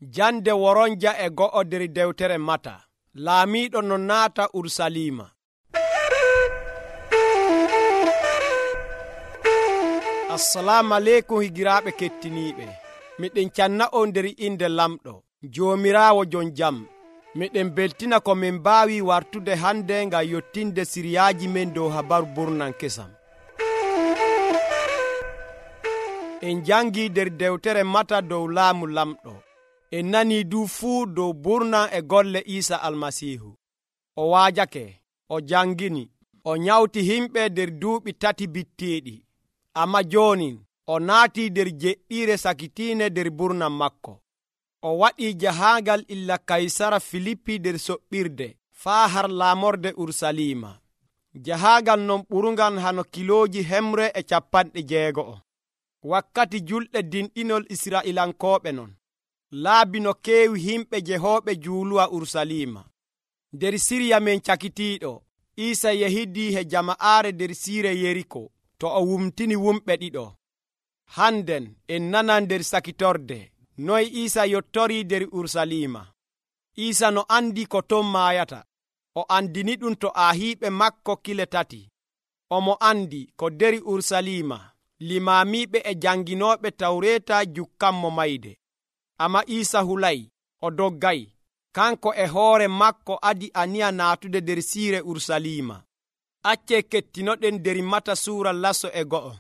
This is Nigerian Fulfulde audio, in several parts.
Jande woronja e go'o der dewtere Mata. Laamiiɗo no naata Urusalima. Assalamu aleykum higiraaɓe kettiniiɓe. Miɗen canna on nder inde lamɗo Joomiraawo jon jam. Miɗen beltina ko min mbaawi wartude hande ngam yottinde siriyaaji men dow habaru burnan kesam. En jangi nder dewtere Mata dow laamu lamɗo. En nani du fuu dow burnan e golle Iisa Almasiihu. O waajake, o jangini, o nyawti himɓe nder duuɓi 3 bitteeɗi. Amma jooni o naati nder jeɗɗiire sakitiinde nder burnan makko. O waɗii jahaangal illa Kaysara Filippi nder soɓɓirde faa har laamorde Urusalima. Jahaangal non ɓurungal hano kilooji 160. Wakkati julɗe dinɗinol Israa'ilankooɓe non. Laabi no keewi himɓe jehooɓe juuluwa Urusalima. Nder Siriya men cakitiiɗo, Iisa yehidii he jama'aare nder siire Yeriko to o wumtini wumɓe 2. Handen en nanan nder sakitorde noy Iisa yottorii nder Urusalima. Iisa no andi ko ton maayata, o andini ɗum to aahiiɓe makko kile 3. Omo andi ko nder Urusalima limaamiiɓe e janginooɓe Tawreeta jukkanmo mayde. Amma Iisa hulay, o doggay. Kanko e hoore makko adi aniya naatude nder siire Urusalima. Acce kettinoɗen nder Mata suura 1.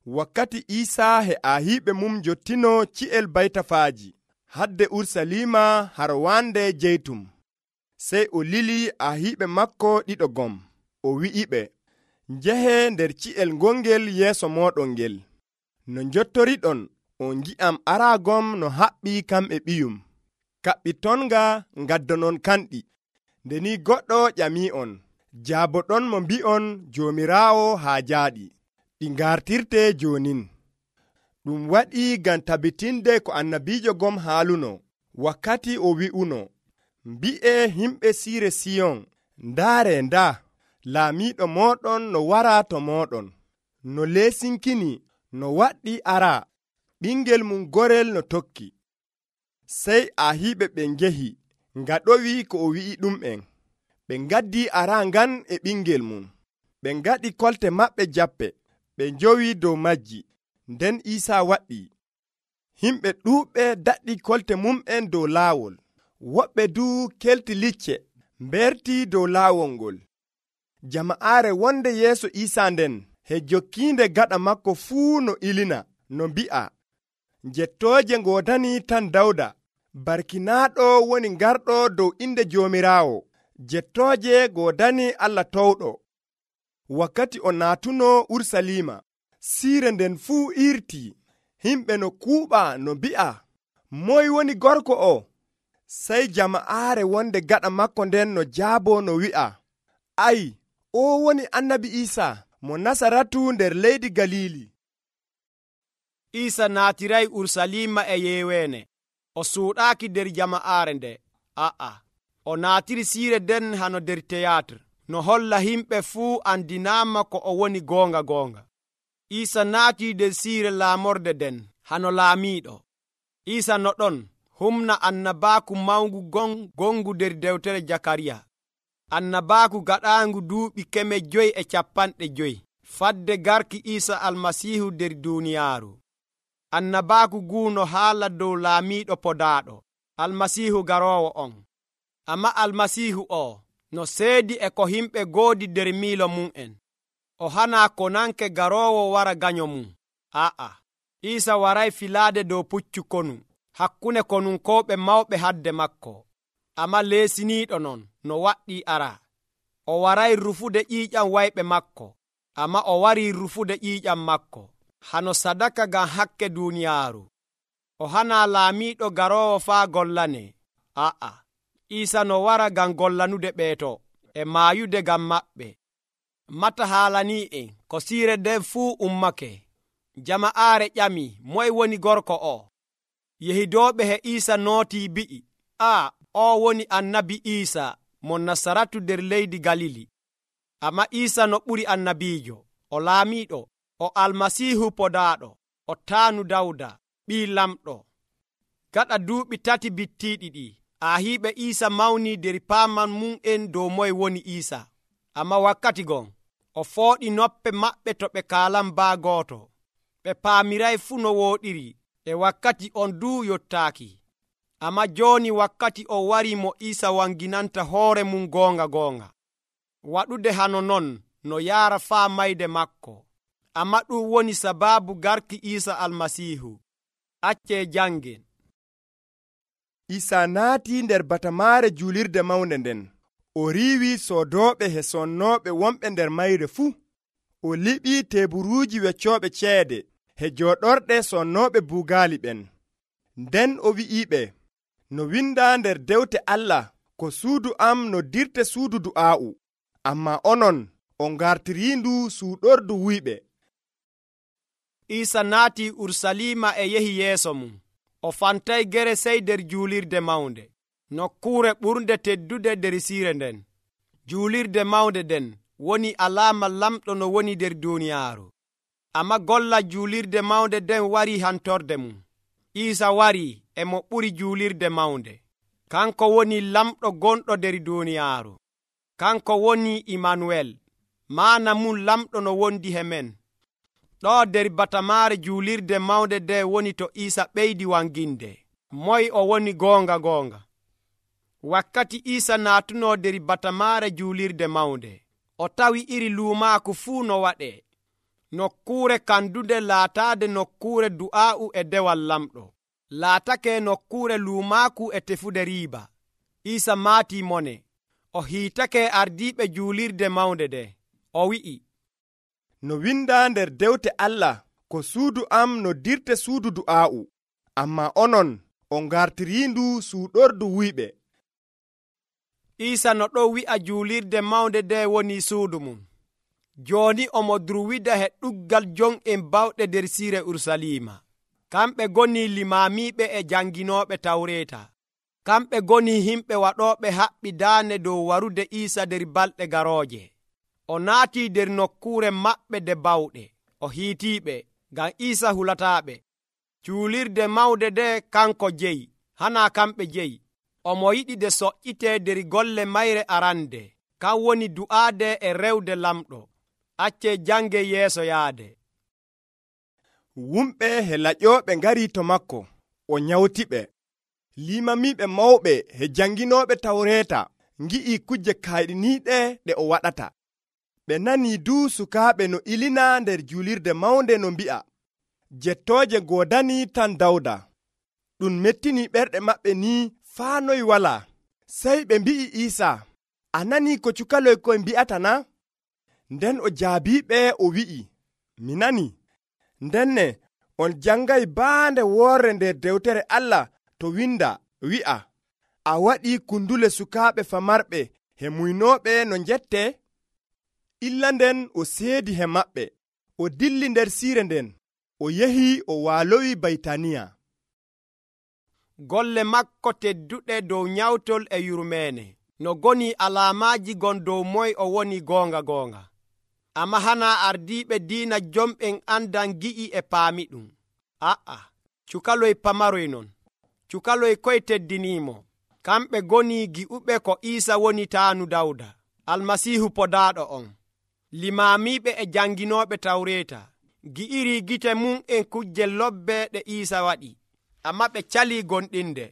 Wakkati Iisa he aahiiɓe mum jottino ci'el baytafaaji hadde Urusalima har wande Jeytum. Sey o lili aahiiɓe makko 2 gom. O wi'iɓe, njehe nder ci'el ngongel yeeso mooɗon ngel. No njottoriɗon on ngi'am araagom no haɓɓi kam e ɓiyum. Kaɓɓitonga ngaddonon kanɗi. Nde ni goɗɗo ƴami'on, jaaboɗon mo mbi'on Joomiraawo haa jaaɗi. Ɗi ngartirte jonin. Ɗum waɗi ngam tabitinde ko annabiijo gom haaluno, wakkati o wi'uno, mbi'e himɓe siire Siyon, ndaare ndaa, laamiiɗo mooɗon no wara to mooɗon, no leesinkini, no waɗɗi ara, ɓingel mum gorel no tokki. Sey aahiiɓe ɓe ngehi, ngaɗowi ko o wi'i ɗum'en. Ɓe ngaddi ara ngan e ɓingel mum. Ɓe ngaɗi kolte maɓɓe jappe, ɓe njowi dow majji. Nden Iisa waɗi. Himɓe ɗuuɓɓe daɗɗi kolte mum'en dow laawol. Woɓɓe du kelti licce, mberti dow laawol ngol. Jama'aare wonde yeeso Iisa nden, he jokkiinde gaɗa makko fuu no ilina, no mbi'a, jettooje ngoodani tan Dawda, barkinaaɗo woni ngarɗo dow inde Joomiraawo, jettooje ngoodani Allah towɗo. Wakkati o naatuno Urusalima, siire nden fuu irti, himɓe no kuuɓa no mbi'a, moy woni gorko o? Sey jama'aare wonde gaɗa makko nden no jaabo no wi'a, ay, o woni annabi Iisa mo Nasaratu nder leydi Galili. Iisa naatiray Urusalima e yeeweene. O suuɗaaki nder jama'aare nde. O naatiri siire nden hano nder teyaatir, no holla himɓe fuu andinaama ko o woni goonga. Iisa naati nder siire laamorde nden hano laamiiɗo. Iisa no ɗon humna annabaaku mawngu gongu nder dewtere Jakariya. Annabaaku gaɗaangu duuɓi 550 fadde garki Iisa Almasiihu nder duuniyaaru. Annabaaku guuno haala dow laamiiɗo podaaɗo, Almasiihu garoowo on. Amma Almasiihu o no seedi e ko himɓe goodi nder miilo mum'en. O hanaa konanke garoowo wara ganyo mum. Iisa waray filaade dow puccu konu, hakkunde konunkooɓe mawɓe hadde makko. Amma leesiniiɗo non no waɗɗii ara. O waray rufude ƴiiƴam wayɓe makko, amma o warii rufude ƴiiƴam makko hano sadaka ngam hakke duuniyaaru. O hanaa laamiiɗo garoowo faa gollane. Iisa no wara ngam gollanude ɓeeto e maayude ngam maɓɓe. Mata haalanii'en ko siire nden fuu ummake. Jama'aare ƴami, moy woni gorko o? Yehidooɓe he Iisa nootii bi'i, o woni annabi Iisa mo Nasaratu nder leydi Galili. Amma Iisa no ɓuri annabiijo, o laamiiɗo, o Almasiihu podaaɗo, o taanu Dawda, ɓii lamɗo. Gaɗa duuɓi 3 bittiiɗi ɗi, ahiiɓe Iisa mawni nder paaman mum'en dow moye woni Iisa. Amma wakkati gon, o fooɗi noppe maɓɓe to ɓe kaalan baa gooto. Ɓe paamiray fuu no wooɗiri, e wakkati on duu yottaaki. Amma jooni wakkati on warii mo Iisa wanginanta hoore mum goonga. Waɗude hano non no yaara faa mayde maako. Amma ɗum woni sabaabu garki Iisa Almasiihu. Accee jangen. Iisa naati nder batamaare juulirde mawnde nden. O riiwi soodooɓe he sonnooɓe wonɓe nder mayre fuu. O liɓii teeburuuji weccooɓe ceede he jooɗorɗe sonnooɓe buugaali ɓen. Nden o wi'iiɓe, no windaa nder dewte Allah, ko suudu am noddirte suudu du'aa'u, ammaa onon on ngartiriindu suuɗordu wuyɓe. Iisa naati Urusalima e yehi yeeso mum. O fantay gere sey nder juulirde mawnde, nokkuure ɓurnde teddude nder siire nden. Juulirde mawnde nden woni alaama lamɗo no woni nder duuniyaaru. Amma golla juulirde mawnde nden warii hantorde mum. Iisa warii e mo ɓuri juulirde mawnde. Kanko woni lamɗo gonɗo nder duuniyaaru. Kanko woni Imanuwel, maana mum lamɗo no wondi he men. Ɗo nder batamaare juulirde mawnde nde woni to Iisa ɓeydi wanginde. Moy o woni goonga. Wakkati Iisa naatuno nder batamaare juulirde mawnde, o tawi iri luumaaku fuu no waɗee. Nokkuure kandunde laataade nokkuure du'aa'u e dewal lamɗo, laatake nokkuure luumaaku e tefude riiba. Iisa maatii mone, o hiitake ardiiɓe juulirde mawnde nde. O wi'i, no windaa nder dewte Allah, ko suudu am noddirte suudu du'aa'u, ammaa onon on ngartiriindu suuɗordu wuyɓe. Iisa no ɗo wi'a juulirde mawnde nde woni suudu mum. Jooni omo durwida he ɗuggal jon'en bawɗe nder siire Urusalima. Kamɓe goni limaamiiɓe e janginooɓe Tawreeta. Kamɓe goni himɓe waɗooɓe haɓɓi daane dow warude Iisa nder balɗe garooje. O naatii nder nokkuure maɓɓe de bawɗe. O hiitiiɓe, ngam Iisa hulataaɓe. Juulirde mawnde nde kanko jeyi, hanaa kamɓe jeyi. Omo yiɗi de soƴƴitee nder golle mayre arande, kan woni du'aade e rewde lamɗo. Accee jange yeeso yaade. Wumɓe he laƴooɓe ngarii to makko, o nyawtiɓe. Limamiiɓe mawɓe he janginooɓe Tawreeta ngi'ii kuje kayɗiniiɗe ɗe o waɗata. Ɓe nanii duu sukaaɓe no ilina nder juulirde mawnde no mbi'a, jettooje goodanii tan Dawda. Ɗum mettinii ɓerɗe maɓɓe nii faa noy walaa. Sey ɓe mbi'i Iisa, a nanii ko cukaloy koy mbi'ata na? Nden o jaabiiɓe o wi'i, mi nanii. Ndenne on jangay baande woorre nder dewtere Allah to winda wi'a, a waɗii kundule sukaaɓe famarɓe he muynooɓe no njette. Illa nden o seedi he maɓɓe, o dilli nder siire nden, o yehi o waalowi Baytaniya. Golle makko tedduɗe dow nyawtol e yurmeene, no goni alaamaaji gon dow moy o woni goonga. Amma hanaa ardiiɓe diina jomɓen andan gi'i e paami ɗum. Cukaloy pamaroy non. Cukaloy koy teddiniimo. Kamɓe goni gi'uɓe ko Iisa woni taanu Dawda, Almasiihu podaaɗo on. Limaamiiɓe e janginooɓe Tawreeta gi'iri gite mum en kujje lobbe ɗe Iisa waɗi. Amma ɓe calii gonɗinde.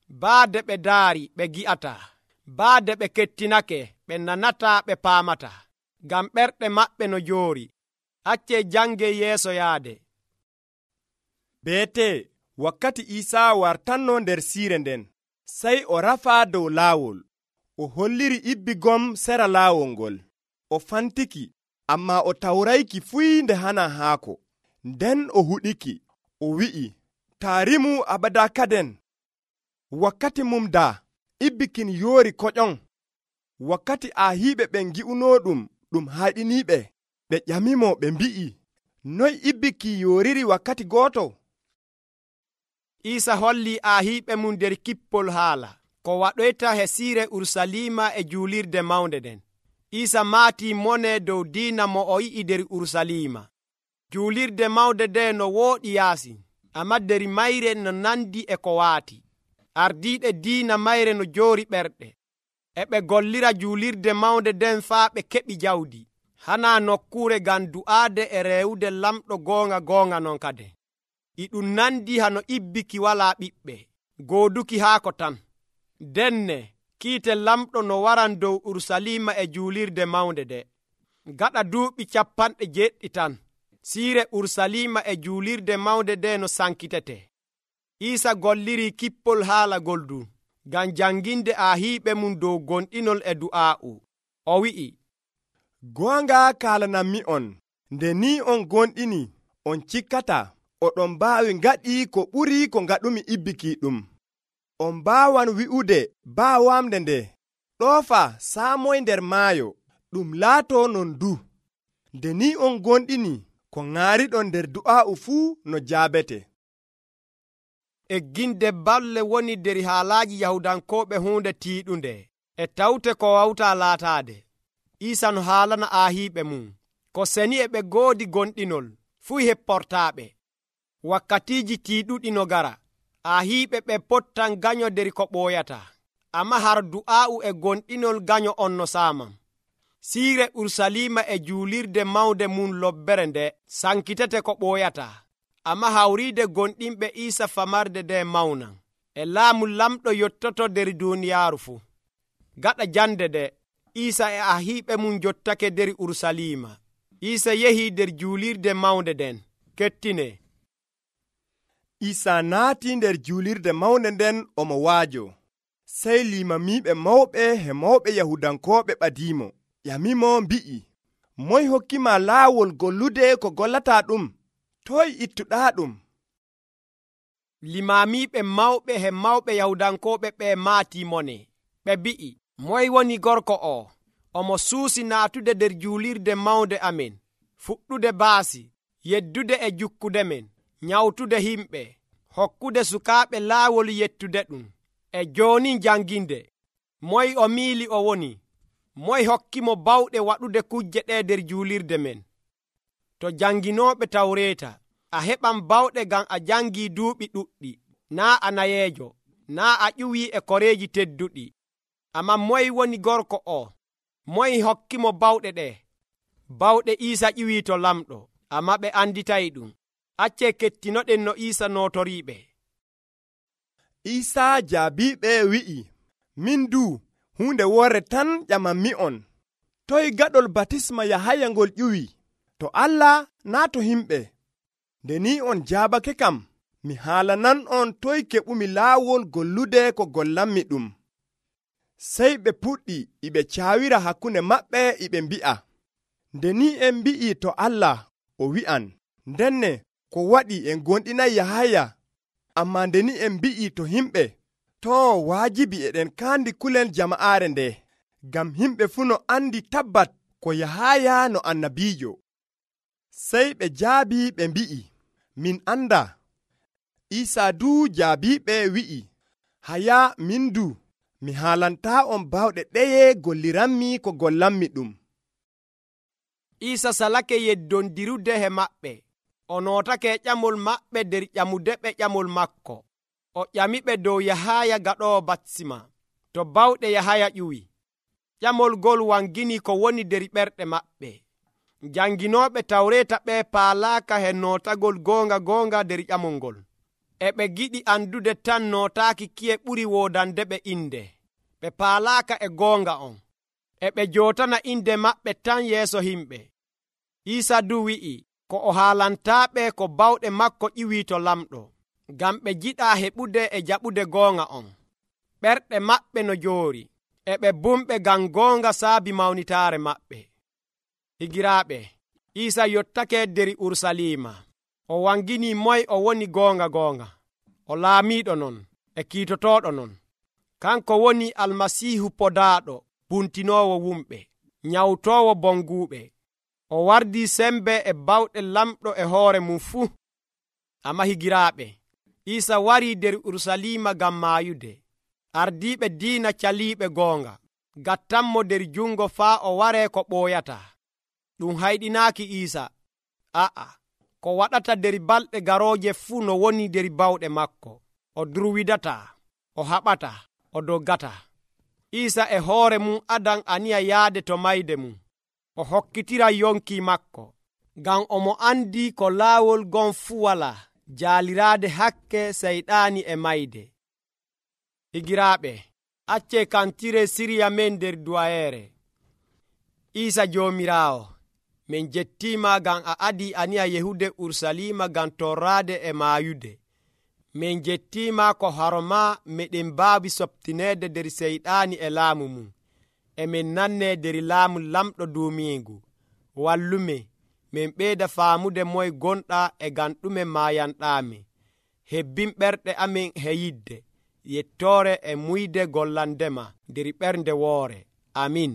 Baade ɓe daari ɓe gi'ataa. Baade ɓe kettinake ɓe nanataa ɓe paamataa. Ngam ɓerɗe maɓɓe no joori. Accee jange yeeso yaade. Beete, wakkati Iisa wartanno nder siire nden, sey o rafaa dow laawol. O holliri ibbigom sera laawol ngol. O fantiki, ammaa o tawrayki fuyinde hana haako. Nden o huɗiki, o wi'i, taarimu abada kaden. Wakkati mum daa, ibbikin yoori koƴon. Wakkati ahiiɓe ɓen gi'unoo ɗum hayɗiniiɓe, ɓe ƴamimo ɓe mbi'i, noy ibbiki yooriri wakkati gooto? Iisa holli ahiiɓe mum nder kippol haala ko waɗoyta he siire Urusalima e juulirde mawnde nden. Iisa maatii mone dow diina mo o yi'i nder Urusalima. Juulirde mawnde nde no wooɗi yaasi. Amma der mayre no nandi e ko waati. Ardiiɓe diina mayre no joori ɓerɗe. E ɓe gollira juulirde mawnde nden faa ɓe keɓi jawdi. Hana nokkuure ngam du'aade e reewude lamɗo goonga non kade. E ɗum nandi hano ibbiki walaa ɓiɓɓe, gooduki haako tan. Denne kiite lamɗo no waran dow Urusalima e juulirde mawnde de. Gaɗa duuɓi 70 tan, siire Urusalima e juulirde mawnde de no sankitete. Iisa golliri kippol haalagol du ngam janginde ahiiɓe mum dow gonɗinol e du'aa'u. O wi'i, goonga kaalanammi on, nde ni on gonɗini, on cikkata, oɗon mbaawi ngaɗi ko ɓuri ko ngaɗumi ibbiki ɗum. On mbaawan wi'ude baawamde nde, ɗoofa saamoy nder maayo, ɗum laato non du. Nde ni on gonɗini, ko ŋaariɗon nder du'aa'u fuu no jaabete. Egginde balle woni der haalaaji Yahudankooɓe huunde tiiɗunde, e tawte ko wawta laataade. Iisa no haalana ahiiɓe mum, ko seni e ɓe goodi gonɗinol, fuu hepportaaɓe. Wakkatiiji tiiɗuɗi no gara, ahiiɓe ɓe pottan ganyo der ko ɓooyata, amma har du'aa'u e gonɗinol ganyo on no saamam. Siire Urusalima e juulirde mawnde mum lobbere nde sankitete ko ɓooyata, amma hawriide gonɗinɓe Iisa famarde nde mawnan, e laamu lamɗo yottoto der duuniyaaru fuu. Gaɗa jande de, Iisa e ahiiɓe mum jottake der Urusalima. Iisa yehii der juulirde mawnde nden. Kettine. Iisa naati nder juulirde mawnde nden omo waajo. Sey limamiiɓe mawɓe e mawɓe Yahudankooɓe ɓadiimo, ƴamimo mbi'i, moy hokkima laawol gollude ko gollataa ɗum? Toy ittuɗaa ɗum? Limamiiɓe mawɓe e mawɓe Yahudankooɓe ɓe maatii mone. Ɓe mbi'i, moy woni gorko o? Omo suusi naatude der juulirde mawnde amen, fuɗɗude baasi, yeddude e jukkude men, nyawtude himɓe, hokkude sukaaɓe laawol yettude ɗum, e jooni janginde. Moy o miili o woni? Moy hokkimo bawɗe waɗude kujje ɗe der juulirde men? To janginooɓe Tawreeta, a heɓan bawɗe ngam a jangii duuɓi ɗuɗɗi, naa a nayeejo, naa a ƴuwii e koreeji tedduɗi. Amma moy woni gorko o? Moy hokkimo bawɗe ɗe? Bawɗe Iisa ƴiwii to lamɗo, amma ɓe anditayi ɗum. Accee kettinoɗen no Iisa nootoriiɓe. Iisa jaabiiɓe wi'i, min du hunde worre tan ƴamanmi'on. Toy gaɗol batisma Yahaya ngol ƴuwi? To Allah naa to himɓe? Nde ni on jaabake kam, mi haalanan on toy keɓumi laawol gollude ko gollanmi ɗum. Sey ɓe puɗɗi iɓe caawira hakkunde maɓɓe iɓe mbi'a, nde ni en mbi'i to Allah, o wi'an, ndenne ko waɗi en gonɗinay Yahaya, amma nde ni en mbi'i to himɓe, to waajibi eɗen kaandi kulel jama'aare nde, ngam himɓe fuu no andi tabbat ko Yahaya no annabiijo. Sey ɓe jaabi ɓe mbi'i, min anda. Iisa du jaabiɓe wi'i, haya min du mi haalantaa on bawɗe ɗeye golliranmi ko gollanmi ɗum. Iisa salake yeddondirude he maɓɓe. O nootake ƴamol maɓɓe der ƴamude ɓe ƴamol makko. O ƴamiɓe dow Yahaya gaɗoowo batisma, to bawɗe Yahaya ƴuwi. Ƴamol gol wangini ko woni der ɓerɗe maɓɓe. Janginooɓe Tawreeta ɓe paalaaka he nootagol goonga der ƴamol ngol. E ɓe giɗi andude tan nootaaki kiye ɓuri woodande ɓe inde. Ɓe paalaaka e goonga on. E ɓe jootana inde maɓɓe tan yeeso himɓe. Iisa du wi'i ko o haalantaaɓe ko bawɗe makko ƴiwii to lamɗo, ngam ɓe jiɗaa heɓude e jaɓude goonga on. Ɓerɗe maɓɓe no joori, e ɓe bumɓe ngam goonga saabi mawnitaare maɓɓe. Higiraaɓe, Iisa yottake der Urusalima. O wangini moy o woni goonga. O laamiiɗo non, e kiitotooɗo non. Kanko woni Almasiihu podaaɗo, buntinoowo wumɓe, nyawtoowo bonguuɓe. O wardii sembe e bawɗe lamɗo e hoore mum fuu. Amma higiraaɓe, Iisa warii der Urusalima ngam maayude. Ardiiɓe diina caliiɓe goonga gattanmo der jungo faa o waree ko ɓooyata. Ɗum hayɗinaaki Iisa. A'a, ko waɗata der balɗe garooje fuu no woni der bawɗe makko. O durwidataa, o haɓataa, o doggataa. Iisa e hoore mum adan aniya yaade to mayde mum. O hokkitira yonki makko, ngam omo andi ko laawol gon fuu walaa jaaliraade hakke seyɗaani e mayde. Higiraaɓe, accee kantire siriya men nder duwayeere. Iisa Joomiraawo, min jettiima ngam a adii aniya yehude Urusalima ngam torraade e maayude. Min jettiima ko haroma meɗen mbaawi soptineede nder seyɗaani e laamu mum. Emin nannee der laamu lamɗo duumiigu. Wallumin, min ɓeyda faamude moye gonɗa e ngam ɗume maayanɗaami. Hebbin ɓerɗe amin he yidde, yettoore e muyde gollandema nder ɓernde woore. Amin.